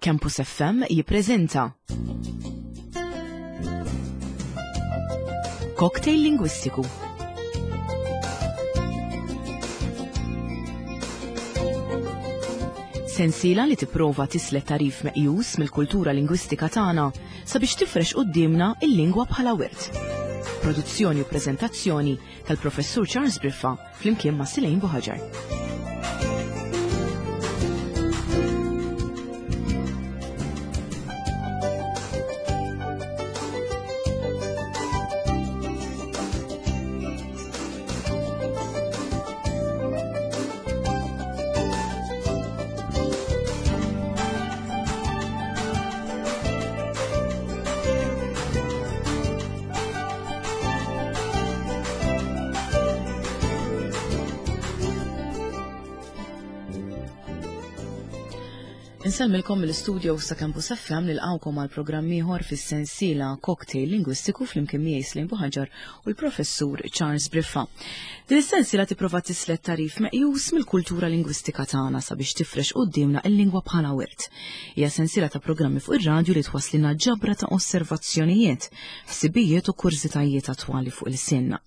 Campus FM jippreżenta Cocktail Lingwistiku. Sensiela li tipprova tislet tarif meqjus mill-kultura lingwistika tagħna sabiex tifrex quddiemna il-lingwa bħala wirt. Produzzjoni u preżentazzjoni tal-Professur Charles Briffa flimkien ma' Silejn Buħaġar. Insellmilkom mill-istudio sa Campus FM nilqawkom għal programm ieħor fis-sensiela Cocktail Lingwistiku flimkien miegħi Slim Buħaġar u l-Professur Charles Briffa. Din is-sensiela tipprova tislet tarif meqjus mill-kultura lingwistika tagħna sabiex tifrex quddiemna il-lingwa bħala wirt. Hija sensiela ta' programmi fuq ir-radju li twasslilna ġabra ta' osservazzjonijiet, ħsibijiet u kurżitajiet attwali fuq ilsienna.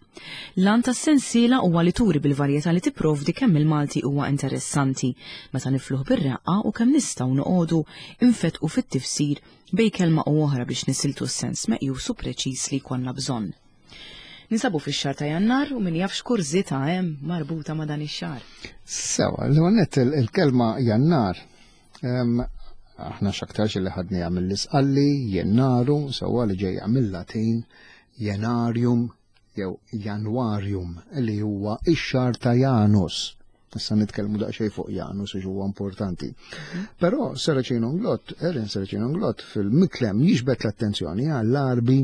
L-għan tas-sensiela huwa li turi bil-varjetà li tipprovdi kemm il-Malti huwa interessanti meta nifluh bir-reqqa u kemm nistgħu noqogħdu nfettqu fit-tifsir bejn kelma u oħra biex nisiltu s-sens meqjus u preċiż li jkollna bżonn. Ninsabu fix-xahar ta' Jannar u min jaf x'kurżità hemm marbuta ma' dan ix-xahar. Sewa, l-għonet il-kelma Jannar aħna x'aktarx li ħadniha mill-isqalli, jennaru, sewa li ġejja mill-Latin, jenarium jew januarium li huwa ix-xahar ta' Janus. Issa nitkellmu daqsxejn fuq Janus għax huwa importanti. Mhm. Però Saraceno Nglott, Erin Saraceno Nglott fil-miklem jiġbed l-attenzjoni għall-arbi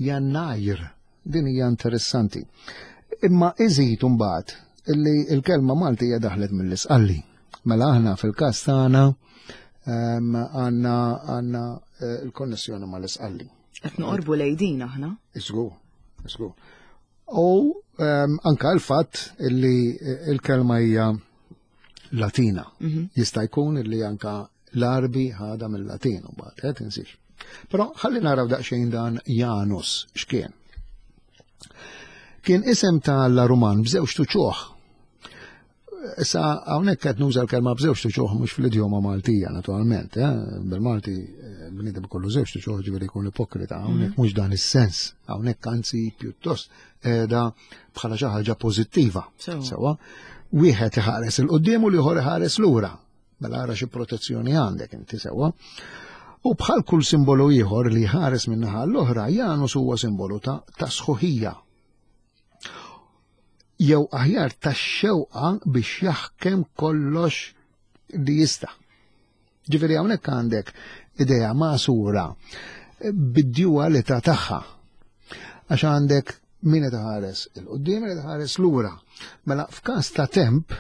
Jannajr. Din hija interessanti. Imma iżid imbagħad illi l-kelma Maltija daħlet mill-isqalli. Mela aħna fil-każ tagħna ehm, għandna għandna eh, l-konnessjoni mal-isqalli. Qed noqorbu lejdin aħna. Iżgur, iżgur. U ehm, anka l-fatt illi eh, il-kelma hija Latina. Mhm. Jista' jkun illi anka l-Arbi ħada mill-Latin u bad, eh, tinsiex. Però ħalli naraw daqsxejn dan Janus x'kien. Kien isem ta' Alla Ruman b'żewġ tuċuħ Issa hawnhekk qed nuża l-kelma b'żewġ tuċuħ mhux fl-idjoma Maltija naturalment, eh? bil-Malti eh, bniedem kollu żewġ tuċuħ ġifieri jkun ipokrita, hawnhekk mhm. mhux dan is-sens, hawnhekk anzi pjuttost qiegħda bħala xi ħaġa pożittiva. Sewa, wieħed iħares il qudiem u l-ieħor iħares lura. Mela ara xi protezzjoni għandek inti sewa. U bħal kull simbolu ieħor li ħares min-naħa l-oħra, Janus huwa simbolu ta' sħuħija jew aħjar tax-xewqa biex jaħkem kollox li jista'. Ġifieri hawnhekk għandek idea magħsura bid-dualità tagħha. Għax għandek min qed iħares il-qudiem qed iħares lura. Mela f'każ ta' temp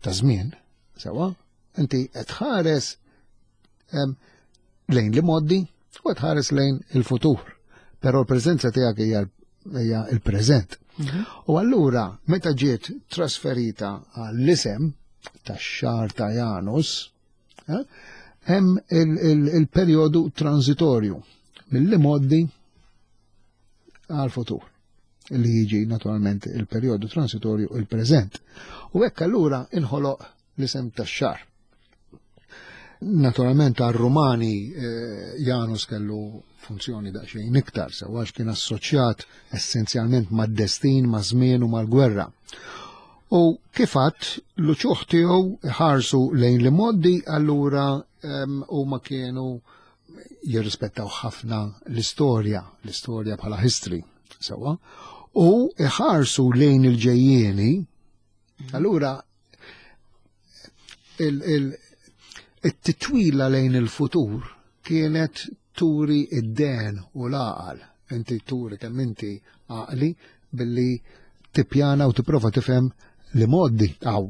ta' żmien, sewa, inti qed tħares lejn li moddi u qed tħares lejn il-futur. Però l-preżenza tiegħek hija hija il-preżent. Mhm. U allura meta ġiet trasferita għall-isem tax-xahar ta' Janus, eh, hemm il-perjodu transitorju mill-imoddi għal-futur li jiġi naturalment il-perjodu transitorju il-preżent. U hekk allura inħoloq l-isem tax-xahar. Naturalment għar-Rumani eh, Janus kellu funzjoni daqsxejn iktar, sewa għax kien assoċjat essenzjalment mad-destin, ma' żmien u mal-gwerra. U kifat l-uċuħ tiegħu ħarsu lejn li moddi allura huma kienu jirrispettaw ħafna l-istorja, l-istorja bħala history, sewa, u iħarsu lejn il-ġejjieni, allura il-titwila lejn il-futur kienet turi id-den u l-għaqal. Inti turi kemm inti għaqli billi tippjana u tipprova tifhem li moddi għaw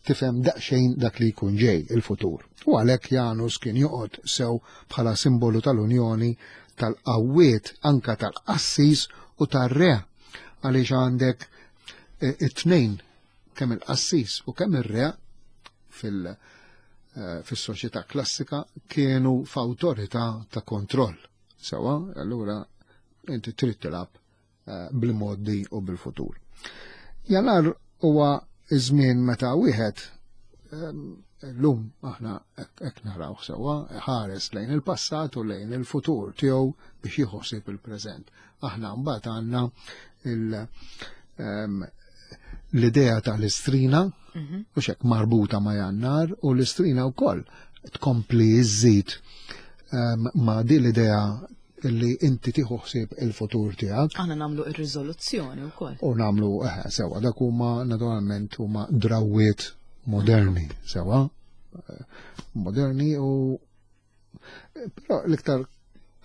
tifhem daqsxejn dak li jkun ġej il-futur. U għalhekk Janus kien joqgħod sew bħala simbolu tal-Unjoni tal-qawwiet anka tal-qassis u tar-re għaliex għandek eh, it-tnejn kemm il-qassis u kemm ir-re fil- fis-soċjetà klassika kienu f'awtorità ta' kontroll. Sewa, allura inti trid tilgħab eh, bil-modi u bil-futur. Jannar huwa iż-żmien meta wieħed ehm, llum aħna hekk naraw sewwa ħares lejn il-passat u lejn il-futur tiegħu biex jieħu il-preżent. Aħna mbagħad għandna ehm, l-idea tal-istrina u xek marbuta ma' jannar u l-istrina wkoll tkompli iżżid ehm, ma' din l-idea li inti tieħu ħsieb il-futur tiegħek. Aħna nagħmlu ir-riżoluzzjoni wkoll. U nagħmlu eh, sewa dak huma naturalment huma drawwiet moderni sewa. Eh, moderni u però l-iktar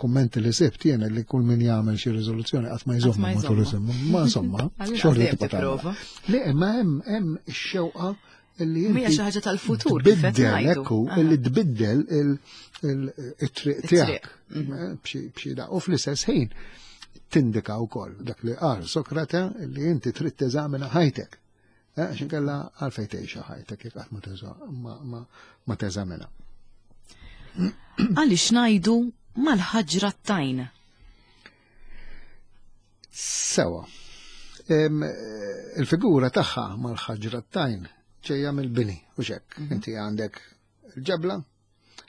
kummenti li sibt jien li kull min jagħmel xi riżoluzzjoni qatt ma jżomm matul iżomm. Ma insomma, xorta tibqa' tipprova. Le, ma hemm hemm ix-xewqa illi inti. Mija xi ħaġa tal-futur. Tbiddel, ekku, illi tbiddel il-triq tiegħek. Mhm. Eh, b'xi da. U fl-istess ħin tindika wkoll dak li qal Sokrate li inti trid teżamina ħajtek. Eh, għax inkella għalfejn tgħixha ħajtek jekk qatt ma teżamina. Għaliex ngħidu mal-ħaġra tajn? Sewa. Il-figura tagħha mal-ħaġra tajn ġejja mill-bini u xekk. Mhm. Inti għandek il-ġebla,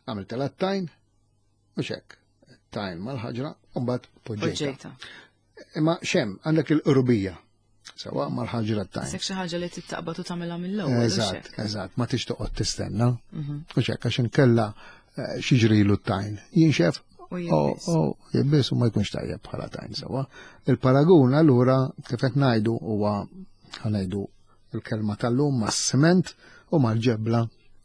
għamilt tajn u xekk. Tajn mal-ħaġra u mbagħad poġġejta. Imma xem, għandek il-qrubija. Sewa mal-ħaġra tajn. Sek xi ħaġa li tittaqbad u tagħmilha mill-ewwel. Eżatt, eżatt, ma tix toqgħod tistenna. Mhm. U xekk għax inkella eh, xiġrilu t-tajn. Jinxef u jibbis u ma jkunx tajjeb bħala tajn sewa. Il-paragun allura kif qed ngħidu huwa ħanajdu il-kelma tal-lum mas-siment u mal-ġebla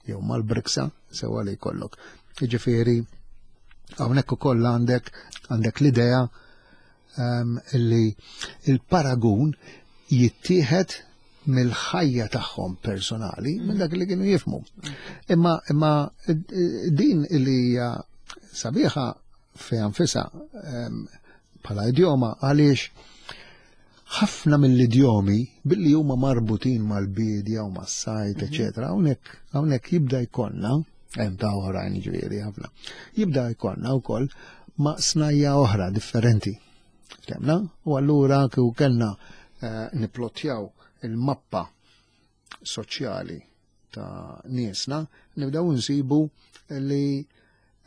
jew mal-briksa sewa li jkollok. Jiġifieri hawnhekk ukoll għandek għandek l-idea um, li il-paragun jittieħed mill-ħajja tagħhom personali, minn dak li kienu jifmu. Imma imma din li hija sabiħa fejn nfisha bħala idjoma għaliex ħafna mill-idjomi billi huma marbutin mal-bidja u mas-sajt, mhm. eċetera, hawnhekk hawnhekk jibda jkollna hemm ta' oħrajn ġifieri ħafna. Jibda jkollna wkoll ma' snajja oħra differenti. Ftemna? U allura kieku kellna eh, niplottjaw il-mappa soċjali ta' niesna, nibdew nsibu li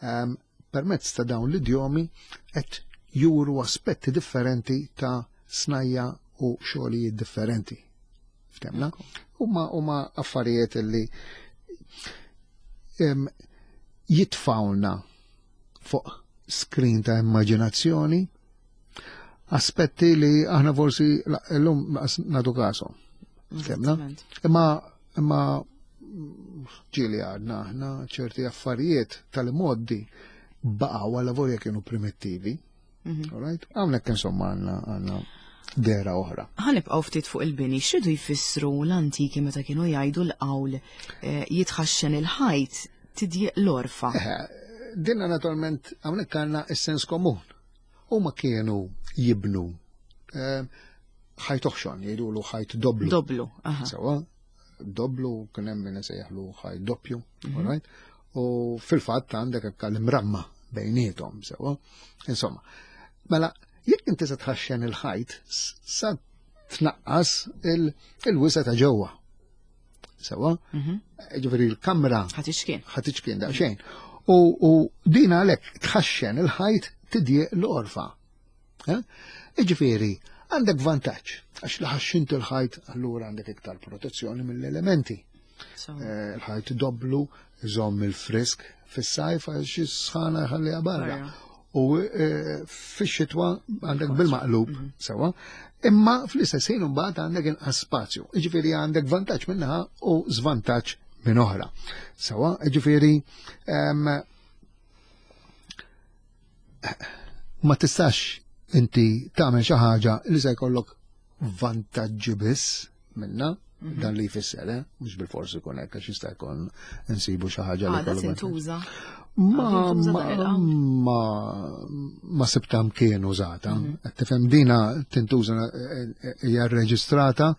um, permezz ta' dawn l-idjomi qed juru aspetti differenti ta' snajja u xogħlijiet differenti. Ftemna? Huma huma affarijiet li um, jitfawna fuq screen ta' immaġinazzjoni aspetti li aħna forsi l-lum nadu kasom. Ftemna? Imma imma ġieli għadna aħna ċerti affarijiet tal-moddi baqgħu għal volja kienu primittivi. Mhm. Alright? Hawnhekk insomma għandna għandna dera oħra. Ħanibqgħu ftit fuq il-bini, x'ridu jfissru l-antiki meta kienu jgħidu l-qawl eh, jitħaxxen il-ħajt tidjiq l-orfa. Eh, dinna naturalment hawnhekk għandna is-sens komun. Huma kienu jibnu eh, ħajt oħxon, jgħidulu ħajt doblu. Doblu, aha. Sewa, doblu kien hemm min isejjaħlu ħajt doppju, mm -hmm. right? U fil-fatt għandek hekk l-imramma bejniethom, sewa. Insomma, mela jekk inti se tħaxxen il-ħajt, sa tnaqqas il-wisa ta' ġewwa. Sewa? Mhm. Ġifieri l-kamra ħatiċkien. Ħatiċkien daqsxejn. U din għalhekk tħaxxen il-ħajt tidjieq l-orfa. Eh? Iġifieri, għandek vantaġġ, għax li ħaxxint il-ħajt allura għandek iktar protezzjoni mill-elementi. Eh, il-ħajt doblu, iżomm il-frisk fis-sajf għax is-sħana jħalliha barra. U eh, fix-xitwa għandek bil-maqlub mhm. sewa. Imma fl-istess ħin imbagħad għandek inqas spazju. Jiġifieri għandek vantaġġ minnaħa u żvantaġġ minn oħra. Sewa, jiġifieri ma tistax inti tagħmel xi ħaġa li se jkollok vantaġġi biss minna, mhm. dan li jfisser, eh? mhux bil-forsi jkun hekk għax jista' jkun insibu xi ħaġa li kollu. tintuża. Ma ma ma sibta mkien użata. Mhm. Qed tifhem dina tintuża eh, eh, hija rreġistrata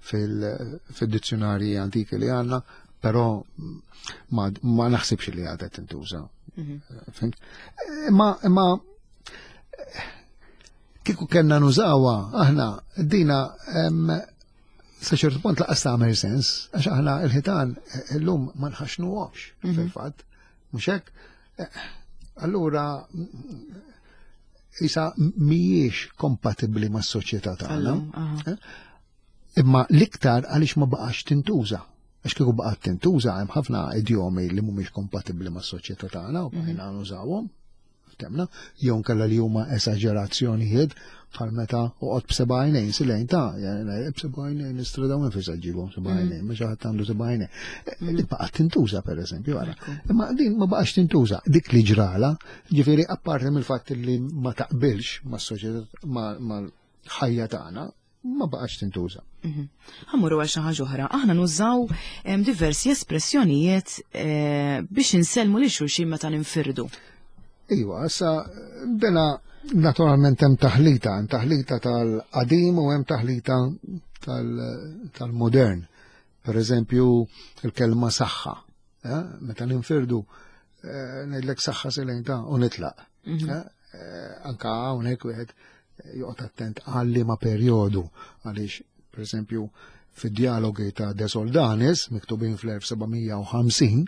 fil-dizzjonarji antiki li għandna. Però ma, ma naħsibx li għadha tintuża. Fhimt? Imma imma kieku kellna nużawha aħna dina sa ċertu punt laqas tagħmel sens, għax aħna il-ħitan illum ma nħaxnuhomx fil-fatt, mhux hekk? Allura isa mhijiex kompatibbli mas-soċjetà tagħna. Eh? Imma l-iktar għaliex ma baqax tintuża. Għax kieku baqgħet tintuża hemm ħafna idjomi li mhumiex kompatibbli mas-soċjetà tagħna u bqajna nużawhom. Temna, jew nkella li huma esaġerazzjonijiet bħal meta uqgħod b'seba' għajnejn silejn ta' b'seba' għajnejn istra dawn fejn se ġġibhom seba' mm. għajnejn, mhux ħadd għandu seba' għajnejn. Mm. Li baqgħet tintuża pereżempju ara. Imma din ma baqgħax tintuża. Dik li ġrala, ġifieri apparti mill-fatt li ma taqbilx mas-soċjetà mal-ħajja tagħna, ma baqax tintuża. Mhm. Ħammuru għal xi ħaġa oħra. Aħna nużaw diversi espressjonijiet eh, biex insellmu lil xulxin meta ninfirdu. Iva, issa dena naturalment hemm taħlita, hemm taħlita tal-qadim u hemm taħlita tal-modern. Per eżempju, il-kelma saħħa. Eh, meta ninfirdu, eh, ngħidlek saħħa silejn ta' u nitlaq. Mhm. Anka hawnhekk wieħed joqgħod attent għal liema perjodu għaliex pereżempju fid-dialogi ta' De Soldanis miktubin fl-1750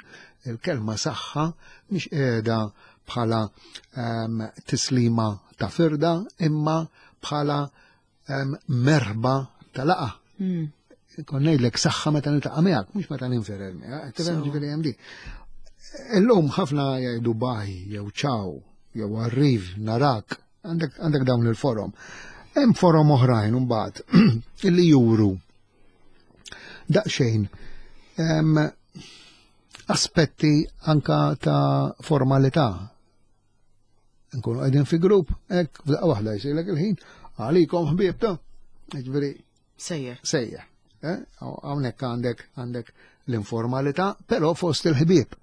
il-kelma saħħa mhix qiegħda bħala um, tislima ta' firda imma bħala um, merħba ta' laqa. Mm. Kon ngħidlek saħħa meta niltaqa' miegħek, mhux meta ninferel miegħek, tifhem ġifieri hemm di. Illum ħafna jgħidu baj jew ċaw jew arriv narak Għandek dawn il-forom. Hemm forom oħrajn imbagħad illi juru daqsxejn aspetti anka ta' formalità. Nkunu qegħdin fi grupp, hekk f'daqqa waħda jsirlek il-ħin, għalikom ħbieb ta' ġifieri Sejjer. Sejjer. Eh? Hawnhekk għandek għandek l-informalità, però fost il-ħbieb.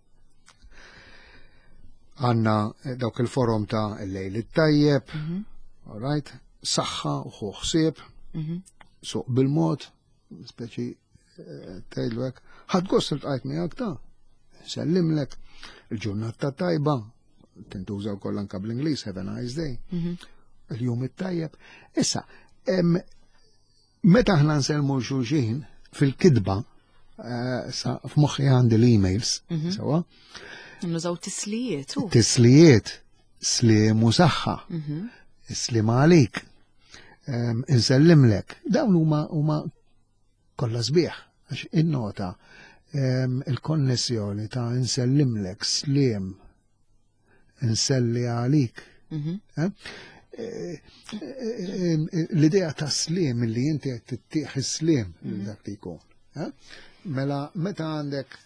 Għanna eh, dawk il-forum ta' il-lejl it-tajjeb, mm all right, saħħa u ħsieb, mhm. suq bil-mod, speċi eh, tgħidlu hekk, ħadd gost iltqajt miegħek ta' sellimlek, il-ġurnata tajba, tintuża wkoll anka bl-Ingliż, have a nice day, mhm. il-jum it-tajjeb. Issa, meta aħna nsellmu xulxin fil-kidba, eh, sa f'moħħi għandi l-emails, mhm. sewa. Nużaw tislijiet. Tislijiet, slim u saħħa, mhm. slim għalik, insellimlek. Dawn huma huma kollha sbieħ, għax innota il-konnessjoni ta' insellimlek, slim, inselli għalik. Mhm. Eh? Eh, eh, l-idea ta' slim li inti qed tittieħ is-slim mhm. dak li jkun. Mela meta għandek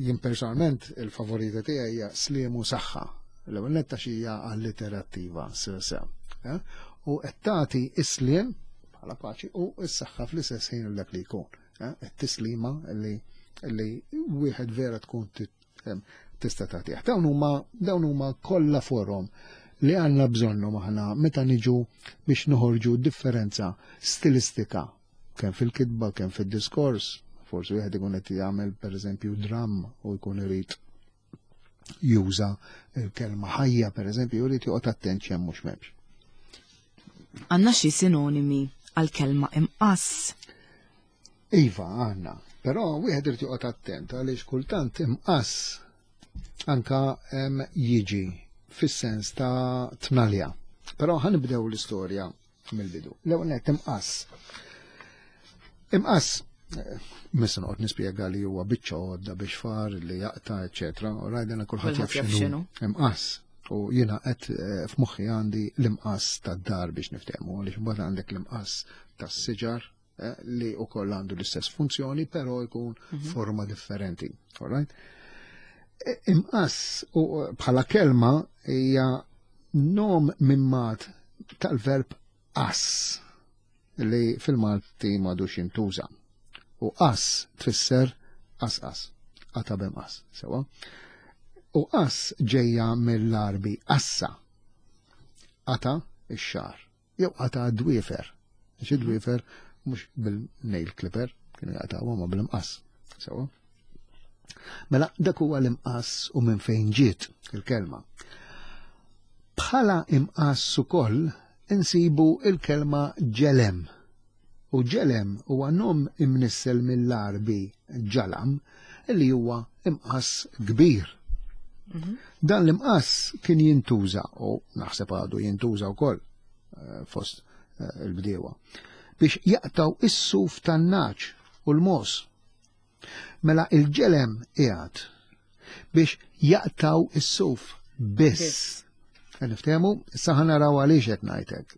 jien personalment il-favorita tiegħi hija slim u saħħa. L-ewwel netta xi hija alliterattiva sesa. U qed tagħti is-slim bħala paċi u s-saħħa fl-istess ħin dak li jkun. It-tislima li li wieħed vera tkun tista' tagħtih. Dawn huma dawn huma kollha forom li għandna bżonnhom aħna meta niġu biex noħorġu differenza stilistika kemm fil-kitba, kemm fid-diskors, forsi wieħed ikun qed jagħmel pereżempju dramm u jkun irid juża l-kelma ħajja pereżempju jrid joqgħod attent x'hemm mhux m'hemmx. Għandna xi sinonimi għal-kelma imqass? Iva, għandna. Però wieħed irid joqgħod attent għaliex kultant imqass anka jiġi fis-sens ta' tnalja. Però ħanibdew l-istorja mill-bidu. L-ewwel nett imqass. Imqass eh, missa noqgħod nispjega li huwa biċċa għodda biex far li jaqta' eċetera, u rajdena kulħadd jaf x'inhu. Imqass. U jiena qed eh, f'moħħi għandi l-imqass tad-dar biex niftehmu, għaliex imbagħad għandek l-imqass tas-siġar eh, li wkoll għandu l-istess funzjoni, però jkun mhm. forma differenti. All right? E, imqass u bħala kelma hija nom mimmat tal-verb ass li fil-Malti m'għadux jintuża. U ass tfisser qasqas, qata' b'imqas, sewa. U ass ġejja mill-Għarbi assa, qata' ix-xagħar, jew qata' d-dwiefer. Għax id-dwiefer mhux bil-nail clipper kienu jaqtgħuhom ma bil-imqass. Sewa. Mela dak huwa l-imqass u minn fejn ġiet il-kelma. Bħala imqass ukoll insibu il-kelma ġelem. U ġelem huwa nom imnissel mill-Għarbi ġalam li huwa imqass kbir. Mhm. Dan l-imqass kien jintuża u naħseb għadu jintuża wkoll eh, fost eh, il-bdiewa biex jaqtaw is-suf tan-naċ u l-mos. Mela il-ġelem qiegħed biex jaqtaw is-suf biss. Niftehmu, issa ħa naraw għaliex qed ngħidlek.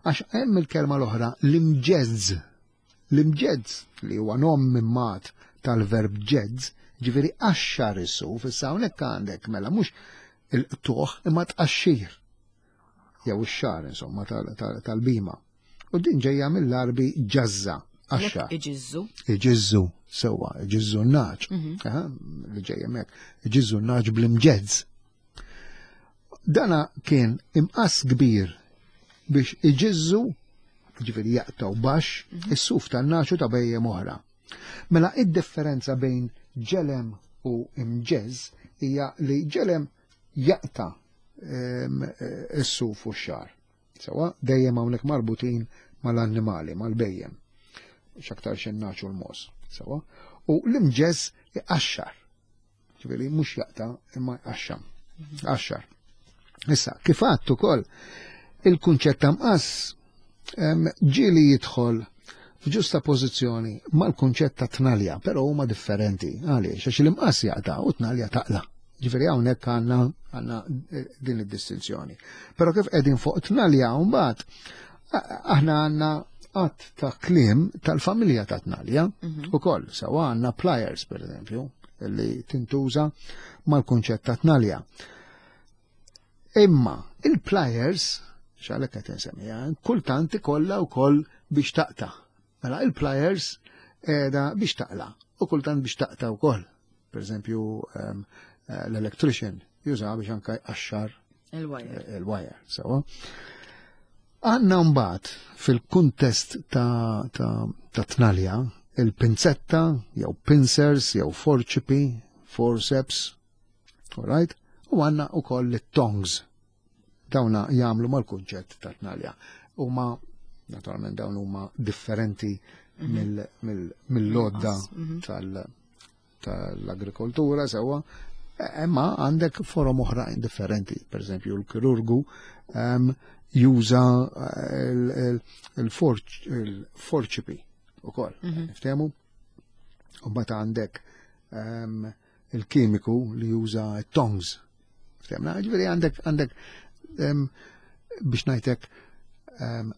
Għax hemm il-kelma l-oħra l-imġezz. L-imġezz li huwa nom mimmat tal-verb ġezz, ġifieri qaxxar is-suf, issa hawnhekk għandek mela mhux il-qtuħ imma tqaxxir. Jew ix-xar insomma tal-bima. U din ġejja mill-Għarbi ġazza, għaxxa. Iġizzu. Iġizzu, sewwa, iġizzu n-naġ. Mhm. Li ġejja mek, iġizzu n-naġ bl-imġezz. Dana kien imqas kbir biex iġizzu, ġifieri jaqtaw baxx, mhm. is-suf tan-naġ u ta' bejjem oħra. Mela id-differenza bejn ġelem u imġeż hija li ġelem jaqta' ehm, is-suf u x-xar. Sewa, dejjem hawnhekk marbutin mal-annimali, mal-bejjem. X'aktar xinnaċ u l-mos. Sewa, u l-imġeż iqaxxar. Ġifieri mhux jaqta' imma jqaxxam. Qaxxar. Issa, kif għadt ukoll il-kunċett ta' mqass ġieli jidħol f'ġusta pożizzjoni mal-kunċett ta' tnalja, però huma differenti. Għaliex? Għax l-imqass jaqta' u tnalja taqla'. Ġifieri hawnhekk għandna għandna eh, din id-distinzjoni. Però kif qegħdin fuq tnalja mbagħad aħna għandna qatt ta' kliem tal-familja ta' tnalja mhm. ukoll sewa għandna pliers pereżempju li tintuża mal-kunċett ta' tnalja. Imma il-pliers, xalek qed insemmija, kultant ikollha wkoll biex taqta'. Mela il-pliers qiegħda biex taqla u kultant biex taqta' wkoll. Per eżempju, ehm, eh, l-electrician juża biex anka jqaxxar il-wire. Eh, il-wire, sewa. Għanna mbagħad fil-kuntest ta', ta, ta tnalja il-pinzetta, jew pincers, jew forċipi, forceps, all right? U għanna u koll it-tongs. Dawna jagħmlu mal-kunċett ta' tnalja. Huma naturalment dawn huma differenti mhm. mill-lodda mhm. tal-agrikoltura sewwa, imma għandek forom oħrajn differenti. Per eżempju, l-kirurgu ehm, juża eh, il-forċipi ukoll. Mhm. Niftehmu? U mbagħad għandek ehm, il-kimiku li juża tongs. Ftemna, ġifieri għandek għandek biex ngħidlek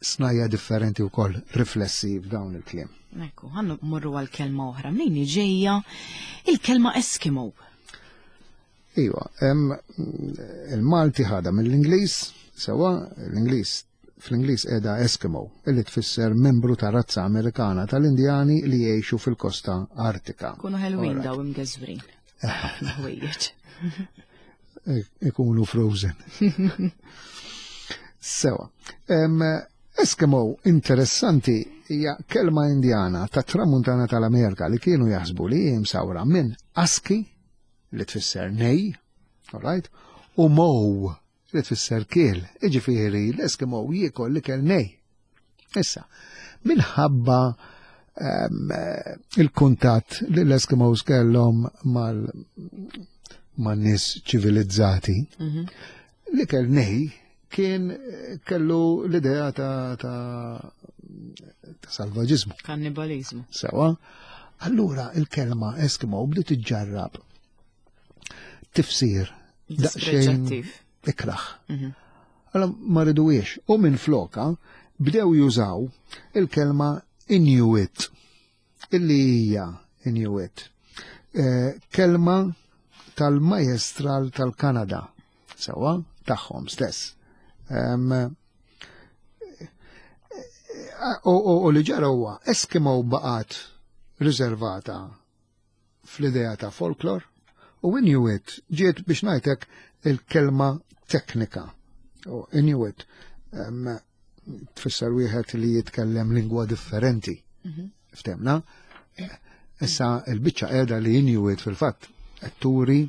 snajja differenti wkoll riflessi f'dawn il-kliem. Ekku, ħannu morru għal kelma oħra. Mnejn ġejja il-kelma Eskimo? Iva, il-Malti ħada mill-Ingliż, sewa l-Ingliż fl-Ingliż qiegħda Eskimo, illi tfisser membru ta' razza Amerikana tal-Indjani li jgħixu fil-kosta Artika. Kunu ħelwin daw imgeżwrin. Ħafna ħwejjeġ. Ikunu frozen. Sewa. Eskimo interessanti hija kelma Indjana ta' tramuntana tal-Amerika li kienu jaħsbu li hi msawra minn aski li tfisser nej, all right, u mow li tfisser kiel, iġifieri l-Eskimo jiekol li kell nej. Issa, minħabba ehm, il-kuntatt li l-Eskimos kellhom mal man-nies ċivilizzati, mhm. li kell nej kien kellu l-idea ta', ta, ta salvaġizmu. Kannibalizmu. Sewa. Allura il-kelma Eskimo bdiet iġġarrab tifsir daqsxejn ikraħ. Mhm. Allora ma riduwiex u minn floka bdew jużaw il-kelma Inuit illi hija Inuit. Eh, kelma tal-majestral tal-Kanada, sewa tagħhom stess. U li ġara huwa Eskimo baqgħet riservata fl-idea ta' folklor u Inuit ġiet biex ngħidlek il-kelma teknika. U Inuit tfisser wieħed li jitkellem lingwa differenti. Mhm. Ftemna? Issa il-biċċa qiegħda li Inuit fil-fatt qed turi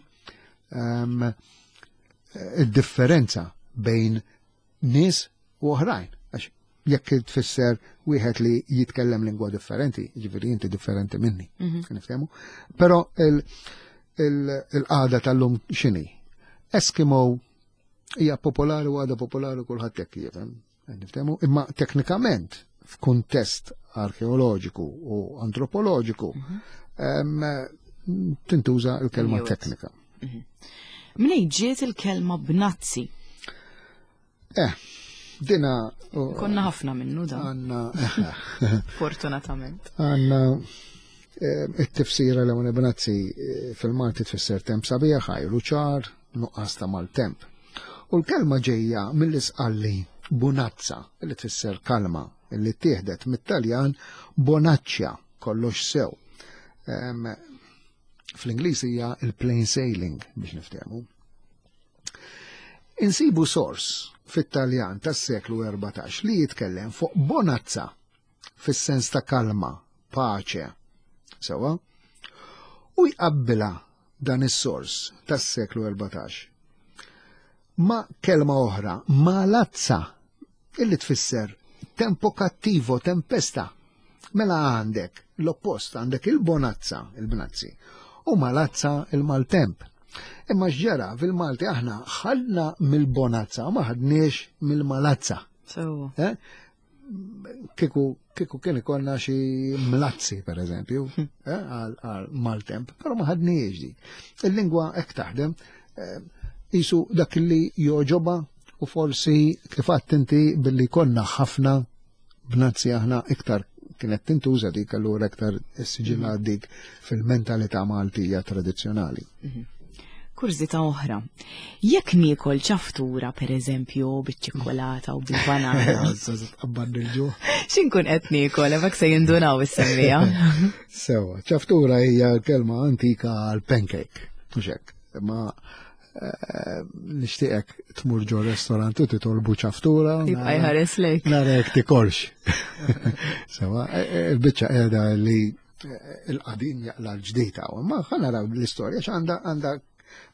id-differenza bejn nies u oħrajn. Għax jekk tfisser wieħed li jitkellem lingwa differenti, ġifieri inti differenti minni, niftehmu. Però il-qagħda tal-lum x'inhi? Eskimo hija popolari u għadha popolari kulħadd hekk jifhem, niftehmu, imma teknikament f'kuntest arkeoloġiku u antropoloġiku tintuża l-kelma teknika. Mnej ġiet il-kelma bnazzi? Dina. Konna ħafna minnu da. Għanna. Fortunatament. Għanna it-tifsira l għuna bnazzi fil-Malti tfisser temp sabiħ, ħajru ċar, nuqqas ta' maltemp. U l-kelma ġejja mill-isqalli bunazza, li tfisser kalma, li tieħdet mit-Taljan bonaccia, kollox sew. Fl-Ingliż hija il-plain sailing biex niftehmu. Insibu sors fit-Taljan tas-seklu 14 li jitkellem fuq bonazza fis-sens ta' kalma, paċe, sewa, u jqabbilha dan is-sors tas-seklu 14 ma' kelma oħra, malazza, illi tfisser tempo cattivo, tempesta. Mela għandek l-oppost, għandek il-bonazza, il-bnazzi, u malazza il-maltemp. Imma x'ġara fil-Malti aħna ħadna mill-bonazza, ma ħadniex mill-malazza. So. Kiku, kiku kien ikollna xi mlazzi, per eżempju, għal maltemp, però ma ħadniex di. Il-lingwa hekk taħdem, jisu dak li joġoba u forsi kif għedt inti billi konna ħafna bnazzi aħna iktar kienet tintuża dik allura iktar s-siġilla dik fil-mentalità Maltija tradizzjonali. Kurżità oħra. Jekk niekol ċaftura, per eżempju, biċ-ċikkolata u bil-banana. X'inkun qed niekol, hekk se jindunaw is-semmiegħa. Sewa, ċaftura hija l-kelma antika għal pancake, mhux hekk. Ma nixtieqek tmur ġo restorant u titolbu ċaftura. Jibqa' jħares lejk. Narek tikolx. Sewa, il-biċċa qiegħda li il-qadim jaqla l-ġdida, ma ħa naraw l-istorja x'għandha għandha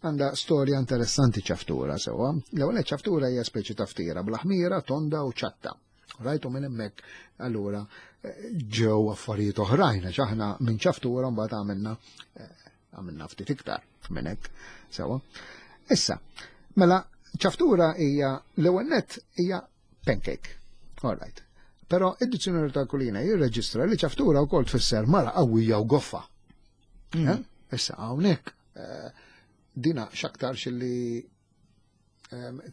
għandha storja interessanti ċaftura sewa. L-ewwel ċaftura hija speċi ta' ftira bl-ħmira, tonda u ċatta. Rajtu minn hemmhekk allura ġew affarijiet oħrajn għax aħna minn ċaftura mbagħad għamilna ftit iktar minn hekk sewa. Issa, mela ċaftura hija l-ewwel nett hija pancake. All right. Però id-dizzjonarju tal-Kulina jirreġistra li ċaftura wkoll tfisser mara qawwija u goffa. Issa hawnhekk dina x'aktarx li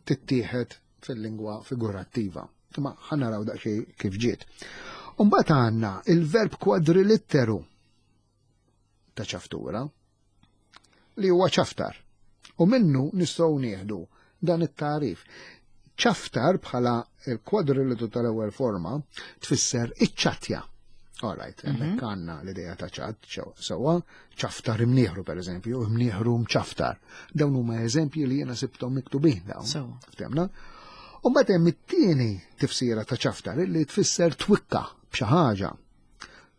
tittieħed fil-lingwa figurattiva. Ma ħa naraw daqsxejn kif ġiet. Umbagħad għandna il-verb kwadrilitteru ta' ċaftura li huwa ċaftar. U minnu nistgħu nieħdu dan it-tarif. Ċaftar bħala il-kwadrilitteru tal-ewwel forma tfisser iċ-ċatja. All right, hemmhekk għandna l-idea ta' ċat, sewwa, ċaftar imnieħru per eżempju, imnieħru mċaftar. Dawn huma eżempji li jiena sibthom miktubin dawn. Ftemna? U mbagħad hemm it-tieni tifsira ta' ċaftar li tfisser twikka b'xi ħaġa.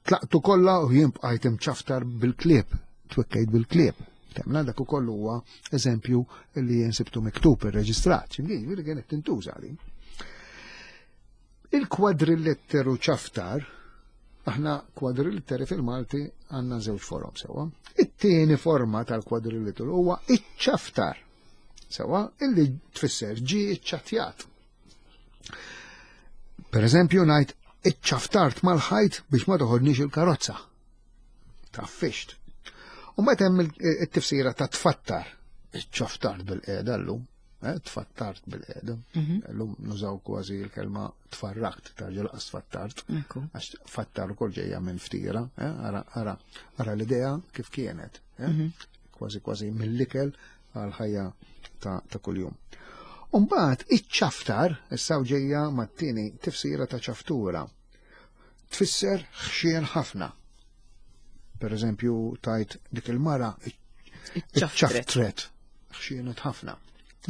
Tlaqtu kollha u jien bqajt imċaftar bil-klieb, twikkejt bil-klieb. Temna dak ukoll huwa eżempju li jien sibtu miktub irreġistrat, x'imkien jiġifieri kienet tintuża li. Il-kwadrilletteru ċaftar, aħna kwadriletteri fil-Malti għandna żewġ forom sewa. It-tieni forma tal-kwadrilletteru huwa iċ-ċaftar, sewa, illi tfisser ġi iċċattjat. Per eżempju, ngħid iċċaftart mal-ħajt biex ma toħodniex il-karozza. Taffixt. U meta hemm it-tifsira ta' tfattar, iċċaftart bil-qiegħda llum, tfattart bil-qiegħda. Llum nużaw kważi l-kelma tfarrakt, tarġa laqas tfattart. Għax fattar ukoll ġejja minn ftira, ara, ara l-idea kif kienet. Kważi kważi mill-ikel għal ħajja ta' kuljum. Umbagħad iċ-ċaftar, issa ġejja mat-tieni tifsira ta' ċaftura. Tfisser ħxien ħafna. Per eżempju, tajt dik il-mara iċ-ċaftret, ħxienet ħafna.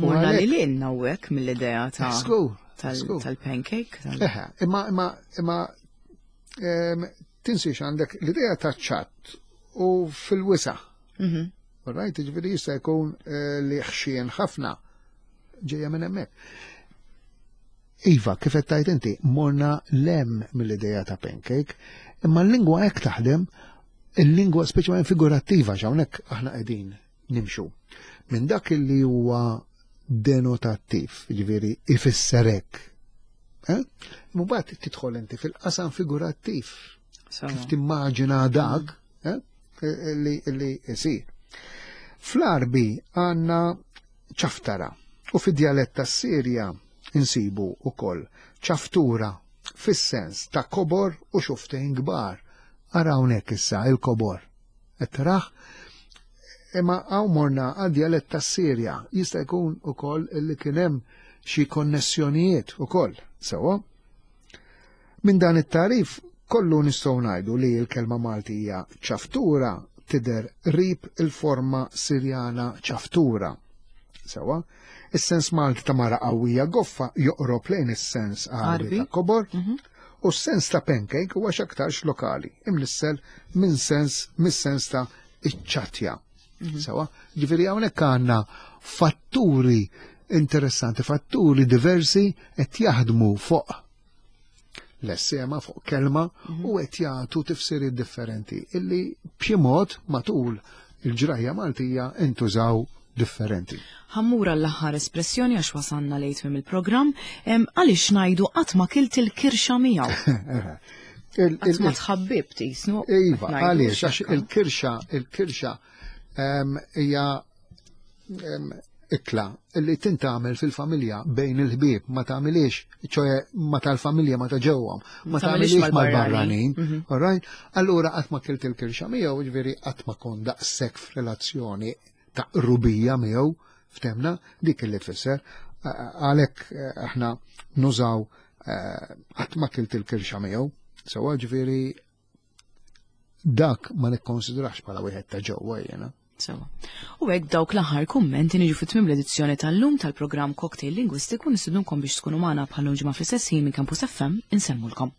Morna li lil hawnhekk mill-idea ta' tal-pancake. Eħe, imma imma imma tinsiex għandek l-idea ta' ċatt. u fil-wisa. Right, ġifieri jista' jkun eh, li ħxien ħafna ġejja minn hemmhekk. Iva, kif qed tgħid inti, morna lem mill-idea ta' pancake, imma l-lingwa hekk taħdem, il-lingwa speċjalment figurattiva x'hawnhekk aħna qegħdin nimxu. Minn dak li huwa denotattiv, ġifieri ifisser hekk. Eh? Mbagħad tidħol inti fil-qasam figurattiv. Kif timmaġina dak eh? li li isir. Fl-Arbi għandna ċaftara u fid-djalett tas-Sirja insibu wkoll ċaftura fis-sens ta' kobor u xuftejn kbar. Ara hawnhekk issa il-kobor. Qed tarah? Imma hawn morna għad-djalett tas-Sirja. Jista' jkun ukoll li kien hemm xi konnessjonijiet ukoll, sewwa? Minn dan it-tagħrif kollu nistgħu ngħidu li l-kelma Maltija ċaftura tidher qrib il-forma Sirjana ċaftura. Sewwa? Is-sens Malti ta' mara qawwija goffa joqrob lejn is-sens Għarbi ta' kobor. Mhm. U s-sens ta' pancake huwa x'aktarx lokali, imnissel minn sens mis-sens ta' iċċatja. Mhm. Sewa, ġifieri hawnhekk għandna fatturi interessanti, fatturi diversi qed jaħdmu fuq l-essema fuq kelma mhm. u qed jagħtu tifsiriet differenti illi b'xi mod matul il-ġrajja Maltija intużaw differenti. Ħammur għall-aħħar espressjoni għax wasanna lejt minn il-programm, għaliex ngħidu qatt ma kilt il-kirxa miegħu. Qatt ma tħabbib tisnu. Iva, għaliex għax il-kirxa, il-kirxa hija ikla li tintgħamel fil-familja bejn il-ħbieb ma tagħmilix, ċoe ma tal-familja ma ta' ġewwa, ma tagħmilix mal-barranin. Mhm. All right? Allura qatt ma kilt il-kirxa miegħu, ġifieri qatt ma kont daqshekk f'relazzjoni ta' qrubija miegħu, ftemna, dik li tfisser. Għalhekk eh, aħna nużaw eh, qatt ma kilt il-kirxa miegħu, sewwa ġifieri dak ma nikkonsidrax bħala wieħed ta' ġewwa jiena. Sewa. U hekk dawk l-aħħar kummenti niġu fit tmiem l-edizzjoni tal-lum tal-programm Cocktail Lingwistiku nistidunkom biex tkunu magħna bħal ġimgħa fl-istess ħin minn Campus FM insemmulkom.